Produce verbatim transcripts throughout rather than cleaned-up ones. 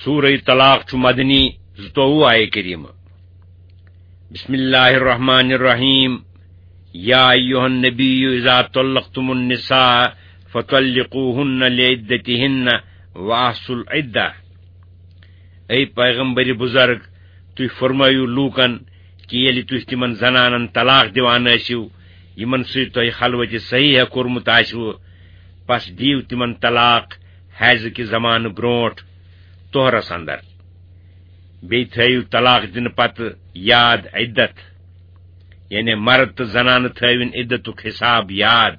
سورہ طلاق چھُ مدنی، زٕتووُہ آیہِ کریمہ۔ بسم اللہ الرحمن الرحیم۔ یا ایھا النبی اذا طلقتم النساء فطلقوهن لعدتهن واحصوا العدة۔ اے پیغمبر بزرگ، تُہۍ فرمٲیِو لوٗکن کہِ ییٚلہِ تُہۍ تِمن زنانن طلاق دِوان ٲسِو، یِمن سۭتۍ تۄہہِ خلوتِ صحیح کوٚرمُت آسِوٕ، پس دِیِو تِمن طلاق حیضہٕ کہِ زمانہٕ برونٹھ طہرس اندر۔ بیٚیہِ تھٲیِو طلاق دِنہٕ پتہٕ یاد عدت، یعنی مرد تہٕ زنانہٕ تھٲوِن عدتُک حساب یاد۔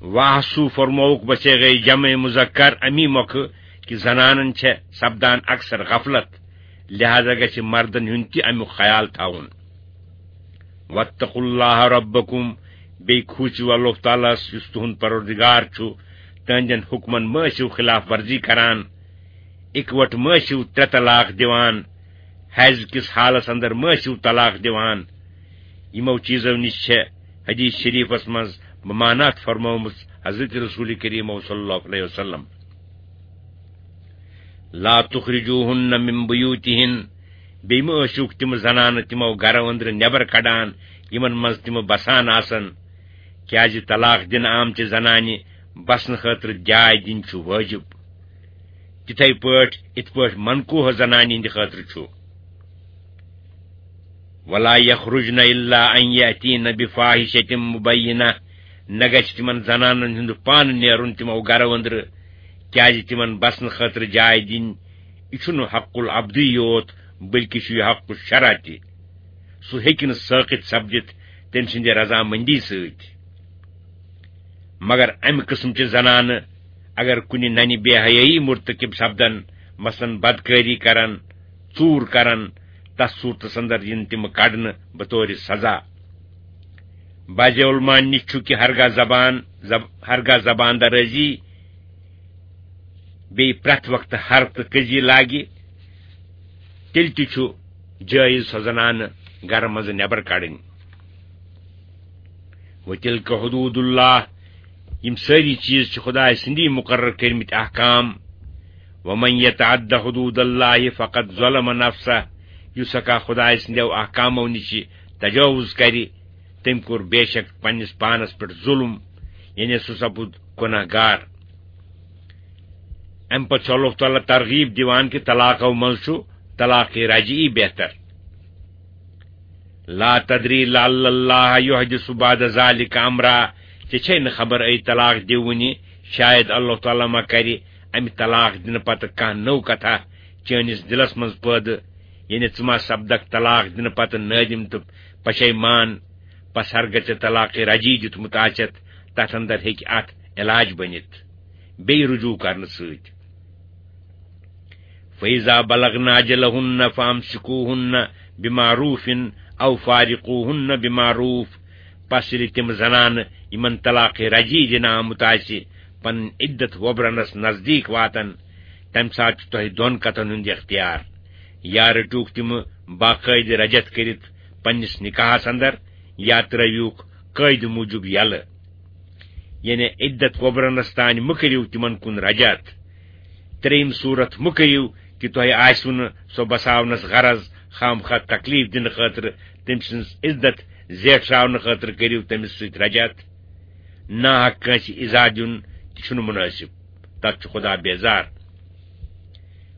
واحصوا فرمووُکھ بصیغہ جمع مذکر امی مۄکھٕ کہِ زنانن چھےٚ سپدان اکثر غفلت، لہذا گژھِ مردن ہُنٛد تہِ امیُک خیال تھاوُن۔ واتقوا اللہ ربکم، بیٚیہِ کھوٗژِو اللہ تعالیٰ ہس یُس تُہُنٛد پروردگار چھُ، تہنٛدٮ۪ن حُکمن مہ ٲسِو خلاف ورزی کران، اِکوٹہٕ مہ ٲسِو ترٛےٚ طلاق دِوان، حیض کِس حالس اندر مہ ٲسِو طلاق دِوان۔ یِمو چیٖزو نِش چھےٚ حدیث شریفس منٛز ممانعت فرمٲومٕژ حضرت رسول کریم صلی اللہ علیہ وسلم۔ لا تخرجوهن من بيوتهن، بیٚیہِ مہ ٲسِوکھ تِم زنانہٕ تِمو گرو أنٛدرٕ نٮ۪بر کڑان، یِمن منٛز تِم بسان آسن، کیازِ طلاق دِنہٕ آمژِ زنانہِ بسنہٕ خٲطرٕ جاے دِنۍ چھُ وٲجِب، تِتھے پٲٹھۍ یِتھ پٲٹھۍ منکوہ زنانہِ ہٕنٛدِ خٲطرٕ چھُ۔ ولا يخرجن الا ان ياتين بفاحشة مبينة، نہ گژھِ تِمن زنانن ہُنٛد پانہٕ نیرُن تِمو گرو أنٛدرٕ، کیازِ تِمن بسنہٕ خٲطرٕ جاے دِنۍ، یہِ چھُنہٕ حق العبدی یوت، بلکہِ چھُ یہِ حق الشرع تہِ۔ سُہ ہیٚکہِ نہٕ سٲقِط سپدِتھ تٔمۍ سٕنٛدِ رضامندی سۭتۍ۔ مگر امہِ قٕسمچہِ زنانہٕ اگر کُنہِ ننہِ بے حیٲیی مرتکب سپدن، مثلاً بدکٲری کرن، ژوٗر کرن، تس صورتس اندر یِن تِم کڑنہٕ بطور سزا۔ بعض علماء نِش چھُ کہِ ہرگاہ زبان، زب-، ہرگاہ زبان درٲزی بیٚیہِ پرٛٮ۪تھ وقتہٕ ہر تہٕ کٔزی لاگہِ، تیٚلہِ تہِ چھُ جٲیز سۄ زنانہٕ گرٕ منٛزٕ نٮ۪بر کڑٕنۍ۔ وتلک حدود اللہ، یِم سٲری چیٖز چھِ خدایہِ سٕنٛدی مُقرر کٔرمٕتۍ احکام۔ ومن یتعد حدود اللہ فقد ظلم نفسہ، یُس ہسا خدایہِ سٕنٛدیو احکامو نِش تجاوز کرِ، تٔمۍ کوٚر بے شک پننِس پانس پٮ۪ٹھ ظلم، یعنی سُہ سپُد گناہ گار۔ امہِ پتہٕ چھُ اللہ تعالیٰ ترغیب دِوان کہِ طلاقو منٛز چھُ طلاق رجعی بہتر۔ لا تدری لعل اللہ یحدث بعد ذلک امرا، ژےٚ چھے نہٕ خبر اے طلاق دِوٕنی، شاید اللہ تعالیٰ ما کرِ امہِ طلاق دِنہٕ پتہٕ کانٛہہ نٔو کتھا چٲنِس دِلس منٛز پٲدٕ، یعنی ژٕ ما سپدکھ طلاق دِنہٕ پتہٕ نٲدِم تہٕ پشیمان، پس ہرگاہ ژےٚ طلاق رجعی دیُتمُت آسٮ۪تھ، تتھ اندر ہیٚکہِ اتھ علاج بٔنِتھ بیٚیہِ رجوع کرنہٕ سۭتۍ۔ فَإِذَا بَلَغْنَ أَجَلَهُنَّ فَأَمْسِكُوهُنَّ بِمَعْرُوفٍ أَوْ فَارِقُوهُنَّ بِمَعْرُوفٍ۔ پس ییٚلہِ تِم زنانہٕ یِمن طلاق رجعی دِنہٕ آمُت آسہِ، پنٕنۍ عدت وۄبرنس نزدیٖک واتن، تمہِ ساتہٕ چھُ تۄہہِ دۄن کتھن ہُنٛد اختیار۔ یا رٔٹِوکھ تِم باقٲعدٕ رجعت کٔرِتھ پننِس نکاحس اندر، یا ترٲوِوکھ قٲعدٕ موٗجوٗب یلہٕ۔ یعنی عدت وۄبرنس تانۍ مہٕ کٔرِو تِمن کُن رجعت۔ ترٛیٚیِم صورت مہٕ کٔرِو کہِ تۄہہِ آسِوٕ نہٕ سۄ بساونس غرض، خامخواہ تکلیف دِنہٕ خٲطرٕ تٔمۍ سٕنٛز عزت زیٹھراونہٕ خٲطرٕ کٔرِو تٔمِس سۭتۍ رجعت۔ ناحق کٲنٛسہِ ایذا دیُن تہِ چھُنہٕ مُنٲسِب، تتھ چھُ خدا بیزار۔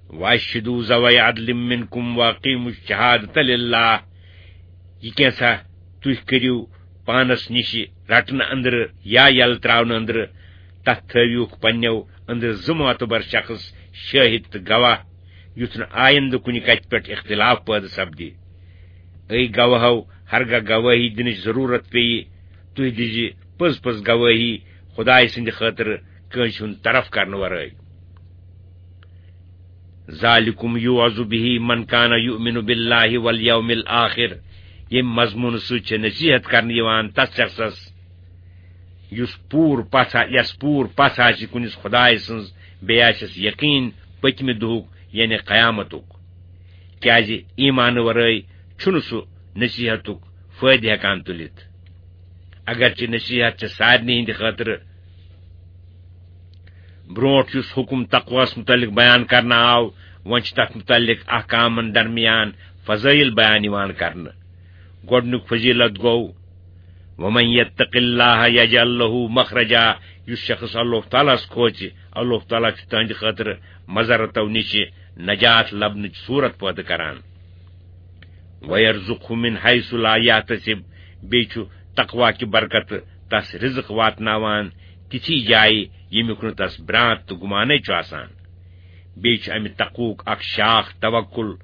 وَأَشْهِدُوا ذَوَيْ عَدْلٍ مِنْكُمْ وَأَقِيمُوا الشَّهَادَةَ لِلَّهِ۔ یہِ کینٛژھا تُہۍ کٔرِو پانس نِش رٹنہٕ أنٛدرٕ یا یلہٕ ترٛاونہٕ أنٛدرٕ، تتھ تھٲوِوکھ پننیو أنٛدرٕ زٕ معتبر شخص، شٲہِد تہٕ گواہ، یُتھ نہٕ آیندٕ کُنہِ کتھِ پٮ۪ٹھ اختلاف پٲدٕ سپدِ۔ اے گواہو، ہرگاہ گوٲہی دِنٕچ ضروٗرت پیٚیہِ، تُہۍ دِزِ پٔز پٔز گوٲہی خدایہِ سٕنٛدِ خٲطرٕ کٲنٛسہِ ہُنٛد طرف کرنہٕ ورٲے۔ ذالکم یوعظ بہ من کان یؤمن باللہ والیوم الآخر، ییٚمہِ مضموٗنہٕ سۭتۍ چھےٚ نصیحت کرنہٕ یِوان تس شخصس یُس پوٗرٕ پژھ آ-، یس پوٗرٕ پژھ آسہِ کُنِس خدایہِ سٕنٛز، بیٚیہِ آسٮ۪س یقیٖن پٔتمہِ دۄہُک یعنی قیامتُک، کیازِ ایمانہٕ ورٲے چھُنہٕ سُہ نصیحتُک فٲیدٕ ہٮ۪کان تُلِتھ۔ اگرچہِ نصیحت چھےٚ سارنٕے ہٕنٛدِ خٲطرٕ برونٹھ یُس حکم تقواہس متعلق بیان کرنہٕ آو، وۄنۍ چھِ تتھ متعلق احکامن درمیان فضائل بیان یِوان کرنہٕ۔ گۄڈنیُک فضیلت گوٚو، "ومن یتق اللہ یجعل لہ مخرجا"، یُس شخص اللہ تعالیٰ ہس کھوژِ، اللہ تعالیٰ چھُ تہنٛدِ خٲطرٕ مضرتو نِش نجات لبنٕچ صورت پٲدٕ کران۔ "وَيَرْزُقْهُ مِنْ حَيْثُ لَا يَحْتَسِبُ"، بیٚیہِ چھُ تقوا کہِ برکتہٕ تس رزق واتناوان تِژھٕے جایہِ، ییٚمیُک نہٕ تس برانٛتھ تہٕ گُمانٕے چھُ آسان۔ بیٚیہِ چھُ امہِ تقوہُک اکھ شاخ توکل۔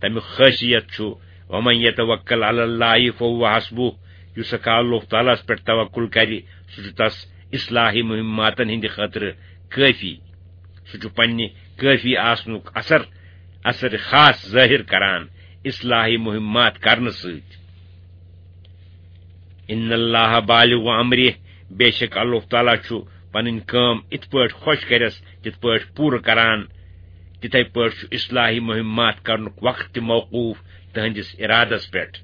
تمیُک خٲصیت چھُ، "وَمَن يَتَوَكَّلْ عَلَى اللَّهِ فَهُوَ حَسْبُهُ"، یُس ہسا اللہ تعالیٰ ہس پٮ۪ٹھ توکل کرِ، سُہ چھُ تس اصلاحی مہماتن ہٕنٛدِ خٲطرٕ کٲفی۔ سُہ چھُ پننہِ کٲفی آسنُک اثر، اثر خاص ظٲہِر کران اصلاحی مہمات کرنہٕ سۭتۍ۔ "ان اللہ بالغ امرہ"، بے شک اللہ تعالیٰ چھُ پنٕنۍ کٲم اِتھ پٲٹھۍ خۄش کرٮ۪س، تِتھ پٲٹھۍ پوٗرٕ کران۔ تِتھے پٲٹھۍ چھُ اصلاحی مہمات کرنُک وقت تہِ موقوف تہنٛدِس ارادس پٮ۪ٹھ۔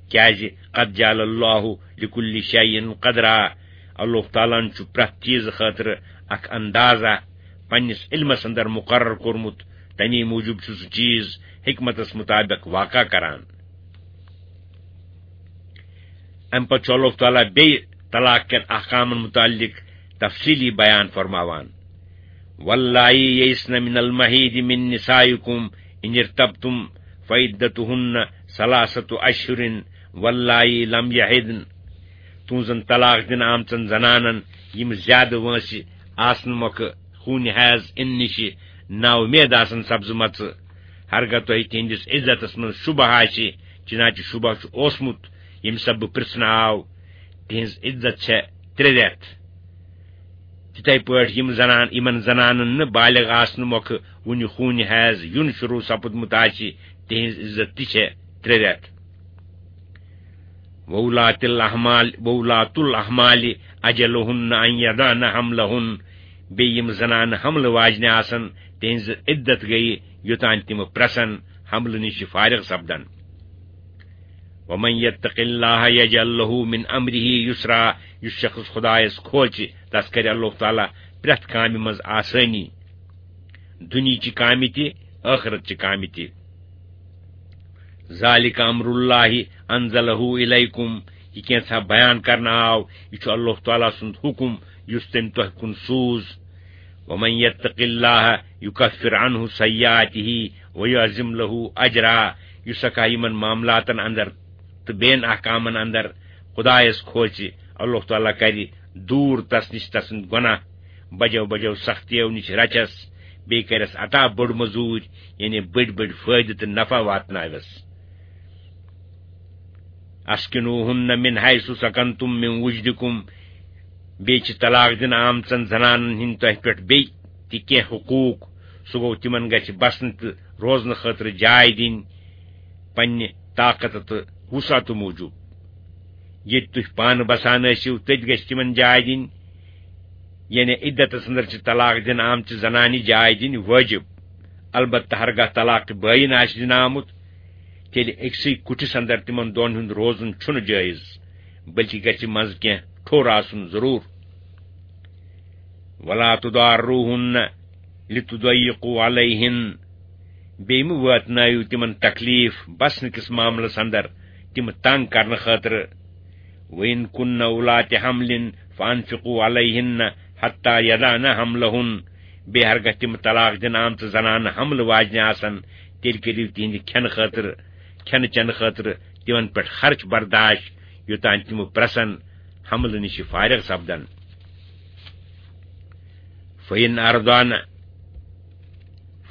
کیازِ، "قد جعل اللہ لکل شیء قدرا"، اللہ تعالیٰ ہن چھُ پرٛٮ۪تھ چیٖزٕ خٲطرٕ اکھ اندازہ پننِس علمس اندر مقرر کوٚرمُت، تمی موٗجوٗب چھُ سُہ چیٖز حکمتس مطابق واقع کران۔ امہِ پتہٕ چھُ اللہ تعالیٰ بیٚیہِ طلاق کٮ۪ن احکامن متعلق تفصیلی بیان فرماوان، "واللائی یئسن من المحیض من نسائکم ان ارتبتم فعدتہن ثلاثۃ اشہر واللائی لم یحضن"، تُہنٛزن طلاق دِنہٕ آمژن زنانن یِم زیادٕ وٲنٛسہِ آسنہٕ مۄکھٕ خوٗنہِ حیض اِنہٕ نِشہِ نااُمید آسن سپزمژٕ، ہرگاہ تۄہہِ تِہنٛدِس عزتس منٛز شبہ آسہِ، چنانچہ شبہ چھُ اوسمُت، ییٚمہِ سببہٕ پرژھنہٕ آو، تِہنٛز عزت چھےٚ ترٛےٚ رٮ۪تھ۔ تِتھے پٲٹھۍ یِم زنان، یِمن زنانن نہٕ بالغ آسنہٕ مۄکھٕ وُنہِ خوٗنہِ حیض یُن شروع سپُدمُت آسہِ، تِہنٛز عزت تہِ چھےٚ ترٛےٚ رٮ۪تھ۔ وَأُولَاتُ الْأَحْمَالِ، وَأُولَاتُ الْأَحْمَالِ أَجَلُهُنَّ أَنْ يَضَعْنَ حَمْلَهُنَّ، بیٚیہِ یِم زنانہٕ حملہٕ واجنہِ آسن، تِہنٛز عدت گٔیہِ یوٚتام تِم پرٛسن حملہٕ نِش فارغ سپدن۔ وَمَنْ يَتَّقِ اللَّهَ يَجْعَلْ لَهُ مِنْ أَمْرِهِ يُسْرًا، یُس شخص خدایس کھوژِ، تس کرِ اللہ تعالیٰ پرٛٮ۪تھ کامہِ منٛز آسٲنی، دُنیہچہِ کامہِ تہِ، ٲخرتچہِ کامہِ تہِ۔ ذَلِكَ أَمْرُ اللَّهِ أَنْزَلَهُ إِلَيْكُمْ، یہِ کینٛژھا بیان کرنہٕ آو، یہِ چھُ اللہ تعالیٰ سُنٛد حُکم یُس تٔمۍ تۄہہِ کُن سوٗز۔ وَمَنْ يَتَّقِ اللَّهَ يُكَفِّرْ عَنْهُ سَيِّئَاتِهِ وَيُعْظِمْ لَهُ أَجْرًا، یُس ہسا یِمن معاملاتن اندر تہٕ بیٚین احکامن اندر خدایس کھوژِ، اللہ تعالیٰ کرِ دوٗر تس نِش تسٕنٛدۍ گۄناہ، بجو بجو سختیو نِش رچس، بیٚیہِ کرٮ۪س عطا بٔڑ مٔزوٗرۍ، یعنی بٔڑۍ بٔڑۍ فٲیدٕ تہٕ نفع واتناوٮ۪س۔ أَسْكِنُوهُنَّ مِنْ حَيْثُ سَكَنْتُمْ مِنْ وُجْدِكُمْ، بیٚیہِ چھِ طلاق دِنہٕ آمژن زنانن ہٕنٛدۍ تۄہہِ پٮ۪ٹھ بیٚیہِ تہِ کینٛہہ حقوٗق، سُہ گوٚو تِمن گژھِ بسنہٕ تہٕ روزنہٕ خٲطرٕ جاے دِنۍ پننہِ طاقت تہٕ وسعتہٕ موٗجوٗب۔ ییٚتہِ تُہۍ پانہٕ بسان ٲسِو، تٔتۍ گژھِ تِمن جاے دِنۍ۔ یعنی عدتس اندر چھِ طلاق دِنہٕ آمژِ زنانہِ جاے دِنۍ وٲجِب۔ البتہ ہرگاہ طلاق بٲیِن آسہِ دِنہٕ آمُت، تیٚلہِ أکسٕے کُٹھِس اندر تِمن دۄن ہُنٛد روزُن چھُنہٕ جٲیز، بلکہِ گژھِ منٛزٕ کینٛہہ ٹھوٚر آسُن ضروٗر۔ وَلَا تُضَارُّوهُنَّ لِتُضَيِّقُوا عَلَيْهِنَّ، بیٚیہِ مہٕ واتنٲیِو تِمن تکلیف بسنہٕ کِس معاملس اندر، تِم تنگ کرنہٕ خٲطرٕ۔ وَإِنْ كُنَّ أُولَاتِ حَمْلٍ فَأَنْفِقُوا عَلَيْهِنَّ حَتَّى يَضَعْنَ حَمْلَهُنَّ، بیٚیہِ ہرگاہ تِم طلاق دِنہٕ آمژٕ زنانہٕ حملہٕ واجنہِ آسن، تیٚلہِ کٔرِو تِہنٛدِ کھٮ۪نہٕ خٲطرٕ، کھٮ۪نہٕ چٮ۪نہٕ خٲطرٕ تِمن پٮ۪ٹھ خرچ برداش، یوٚتام تِم پرٛسن حملہٕ نِش فارغ سپدن۔ فَإِنْ أَرْضَعْنَ،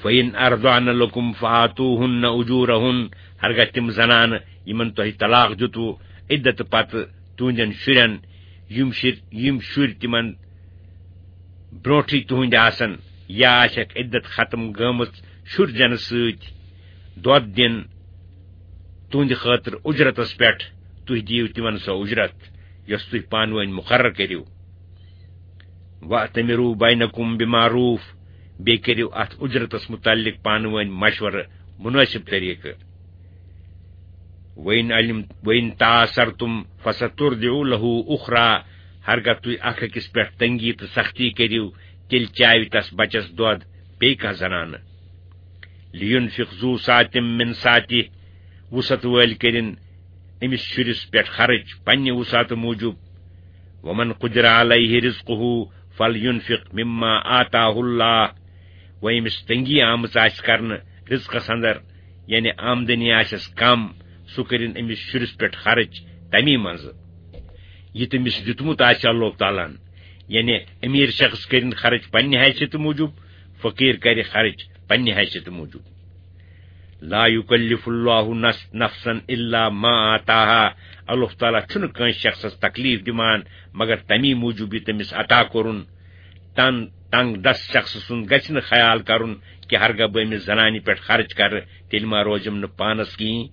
فَإِنْ أَرْضَعْنَ لَكُمْ فَآتُوهُنَّ أُجُورَهُنَّ، ہرگاہ تِم زنانہٕ یِمن تۄہہِ طلاق دیُتوُ عدت پتہٕ تُہنٛدٮ۪ن شُرٮ۪ن، یِم شُرۍ، یِم شُرۍ تِمن برونٹھٕے تُہنٛدِ آسن یا آسٮ۪کھ عدت ختم گٔمٕژ شُرۍ زٮ۪نہٕ سۭتۍ، دۄد دِن تُہنٛدِ خٲطرٕ اُجرتس پٮ۪ٹھ، تُہۍ دِیِو تِمن سۄ اُجرت یۄس تُہۍ پانہٕ ؤنۍ مُقرر کٔرِو۔ وَأْتَمِرُوا بَيْنَكُمْ بِمَعْرُوفٍ، بیٚیہِ کٔرِو اَتھ اُجرتس مُتعلِق پانہٕ ؤنۍ مشورٕ مُنٲسِب طریٖقہٕ۔ وَإِنْ عَلِمْ، وَإِنْ تَعَاسَرْتُمْ فَسَتُرْضِعُ لَهُ أُخْرَىٰ، ہرگاہ تُہۍ اکھ أکِس پٮ۪ٹھ تنگی تہٕ سختی کٔرِو، تیٚلہِ چاوِ تس بچس دۄد بیٚیہِ کانٛہہ زنانہٕ۔ لِینفِق ذو سعة من سعته، وُسعت وٲلۍ کٔرِن أمِس شُرِس پٮ۪ٹھ خرٕچ پننہِ وُسعتہٕ موٗجوٗب۔ ومن قدر علیہ رزقہ فلینفق مما آتاہ اللہ، وۄنۍ أمِس تنگی آمٕژ آسہِ کرنہٕ رزقس اندر، یعنی آمدنی آسٮ۪س کم، سُہ کٔرِن أمِس شُرِس پٮ۪ٹھ خرٕچ تمی منٛزٕ یہِ تٔمِس دیُتمُت آسہِ اللہ تعالیٰ ہن۔ یعنی امیر شخص کٔرِن خرٕچ پننہِ حیثیتہٕ موٗجوٗب، فقیر کرِ خرٕچ پننہِ حیثیتہٕ موٗجوٗب۔ لا یکلف اللہ نس-، نفسا الا ما آتاہا، اللہ تعالیٰ چھُنہٕ کٲنٛسہِ شخصس تکلیف دِوان مگر تمی موٗجوٗب یہِ تٔمِس عطا کوٚرُن۔ تن-، تنگ دست شخص سُنٛد گژھِ نہٕ خیال کرُن کہِ ہرگاہ بہٕ أمِس زنانہِ پٮ۪ٹھ خرٕچ کرٕ، تیٚلہِ ما روزِم نہٕ پانس کِہیٖنۍ۔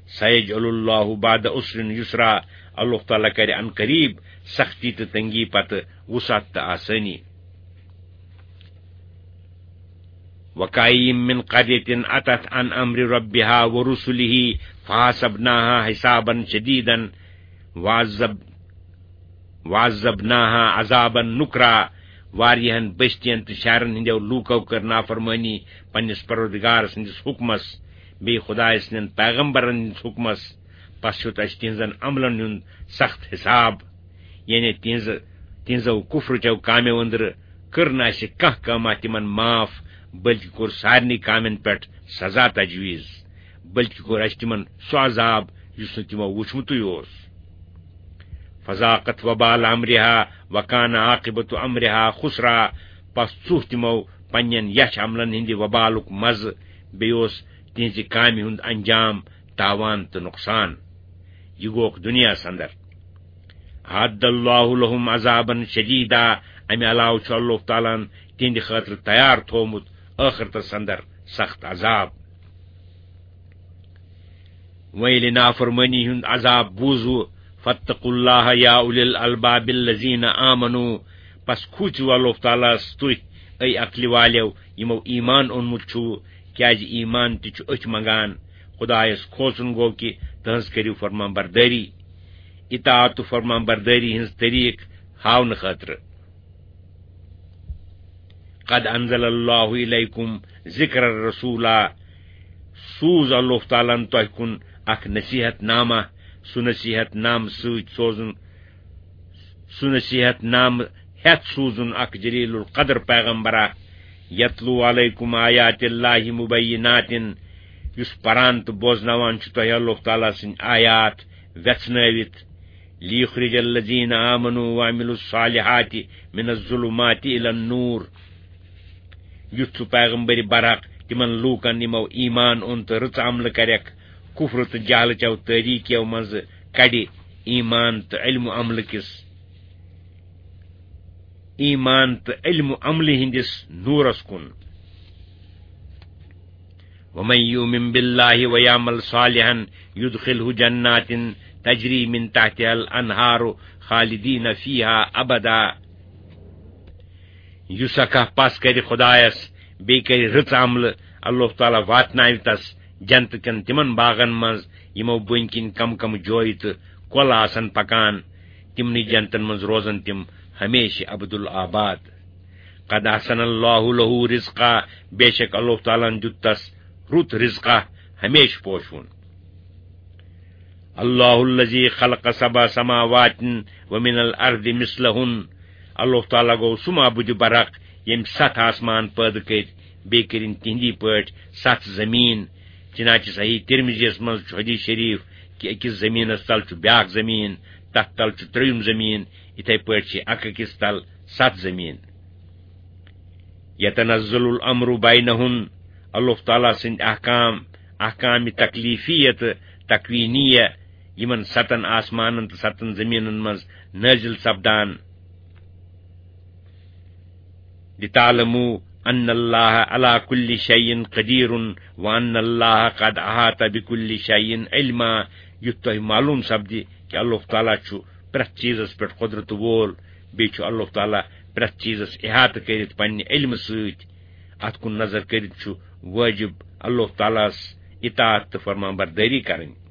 سیجعل اللہ بعد عسر یسرا، اللہ تعالیٰ کرِ عن قریب سختی تہٕ تنگی پتہٕ وسعت تہٕ آسٲنی۔ وکاین من قریة عتت عن امر ربها ورسله فحاسبناها حسابا شدیدا وعذب-، وعذبناها عذابا نکرا۔ واریاہن بستین تہٕ شہرن ہٕنٛدیو لوٗکو کٔر نافرمٲنی پننِس پروردگار سٕنٛدِس حُکمس، بیٚیہِ خۄدایہِ سٕنٛدٮ۪ن پیغمبرن ہٕنٛدِس حُکمس۔ پس ہیوٚت اسہِ تِہنٛزن عملن ہُنٛد سخت حساب، یعنی تِہنٛزٕ، تِہنٛزو کفرٕچو کامیو أنٛدرٕ کٔر نہٕ اسہِ کانٛہہ کٲمہ تِمن معاف، بلکہِ کوٚر سارنٕے کامٮ۪ن پٮ۪ٹھ سزا تجویز، بلکہِ کوٚر اسہِ تِمن سُہ عذاب یُس نہٕ تِمو وُچھمُتُے اوس۔ فذاقت وبال امرها وکان عاقبت امرها خسرا، پس ژوٚہ تِمو پننٮ۪ن یچھ عملن ہٕنٛدِ وبالُک مزٕ، بیٚیہِ اوس تِہنٛزِ کامہِ ہُنٛد انجام تاوان تہٕ نۄقصان۔ یہِ گوکھ دُنیاہس اندر۔ اعد اللہ لهم عذابا شدیدا، امہِ علاوٕ چھُ اللہ تعالیٰ ہن تِہنٛدِ خٲطرٕ تیار تھوومُت ٲخرتس اندر سخت عذاب۔ وۄنۍ ییٚلہِ نافرمٲنی ہُنٛد عذاب بوٗزوٕ، فاتقوا اللہ یا اولی الالباب الذین آمنوا، پس کھوٗژِو اللہ تعالیٰ ہس تُہۍ، اے عقلہِ والیو، یِمو ایمان اوٚنمُت چھُو، کیازِ ایمان تہِ چھُ أتھۍ منٛگان۔ خدایس کھوژُن گوٚو کہِ تٕہٕنٛز کٔرِو فرمان بردٲری، اطاعت تہٕ فرمان بردٲری ہٕنٛز طریٖق ہاونہٕ خٲطرٕ۔ قد انزل اللہ الیکم ذکر الرسولا، سوٗز اللہ تعالیٰ ہن تۄہہِ کُن اکھ نصیحت نامہ، سُہ نصیحت نامہٕ سۭتۍ سوزُن، سُہ نصیحت نامہٕ ہٮ۪تھ سوٗزُن اکھ جلیل القدر پیغمبرا، یتلو علیکم آیات اللہ مبینات، یُس پران تہٕ بوزناوان چھُ تۄہہِ اللہ تعالیٰ سٕنٛدۍ آیات وٮ۪ژھنٲوِتھ، لیخرج الذین آمنوا وعملوا الصالحات من الظلمات الی النور۔ یُتھ سُہ پیغمبر برحق تِمن لوٗکن یِمو ایمان اوٚن تہٕ رٕژ عملہٕ کرٮ۪کھ، کفر تہٕ جہلہٕ چٮ۪و تٲریٖکیو منٛزٕ کڑِ ایمان تہٕ علم و عملہٕ کِس، ایمان تہٕ علم و عملہٕ ہٕنٛدِس نوٗرس کُن۔ ومن یؤمن باللہ ویعمل صالحا یدخلہ جنات تجری من تحتها الانہار خالدین فیہا ابدا۔ یُس اکھ پس کرِ خدایس، بیٚیہِ کرِ رٕژ عملہٕ، اللہ تعالیٰ واتناوِ تس جنتہٕ کٮ۪ن تِمن باغن منٛز، یِمو بٔنۍ کِنۍ کم کم جویہِ تہٕ کۄلہٕ آسن پکان۔ تِمنٕے جنتن منٛز روزن تِم ہمیشہِ ابد الآباد۔ قد احسن اللہ لہ رزقا، بے شک اللہ تعالیٰ ہن دیُت تس رُت رزقا، ہمیشہِ پوشوُن۔ اللہ الذی خلق سبع سماوات ومن الارض مثلہن، اللہ تعالیٰ گوٚو سُہ معبودِ برحق ییٚمۍ ستھ آسمان پٲدٕ کٔرۍ، بیٚیہِ کٔرِن تِہنٛدی پٲٹھۍ ستھ زمین۔ چنانچہ صحیح ترمذیس منٛز چھُ حدیث شریف کہِ أکِس زمینس تل چھُ بیاکھ زمین، تتھ تل چھُ ترٛیٚیِم زمین، یِتھے پٲٹھۍ چھِ اکھ أکِس تل ستھ زمین۔ یتنزل الامر بینہن، اللہ تعالیٰ سٕنٛدۍ احکام، احکام تکلیفیہ تہٕ تکوینیہ، یِمن ستن آسمانن تہٕ ستن زمینن منٛز نٲزِل سپدان۔ لتعلموا ان اللہ علی کل شیء قدیر وان اللہ قد احاط بکل شیء علما، یُتھ تۄہہِ معلوم سپدِ کہِ اللہ تعالیٰ چھُ پرٛٮ۪تھ چیٖزس پٮ۪ٹھ قۄدرت وول، بیٚیہِ چھُ اللہ تعالیٰ پرٛٮ۪تھ چیٖزس احاطہٕ کٔرِتھ پننہِ علمہٕ سۭتۍ۔ اتھ کُن نظر کٔرِتھ چھُ وٲجِب اللہ تعالیٰ ہس اطاعت تہٕ فرمان بردٲری کرٕنۍ۔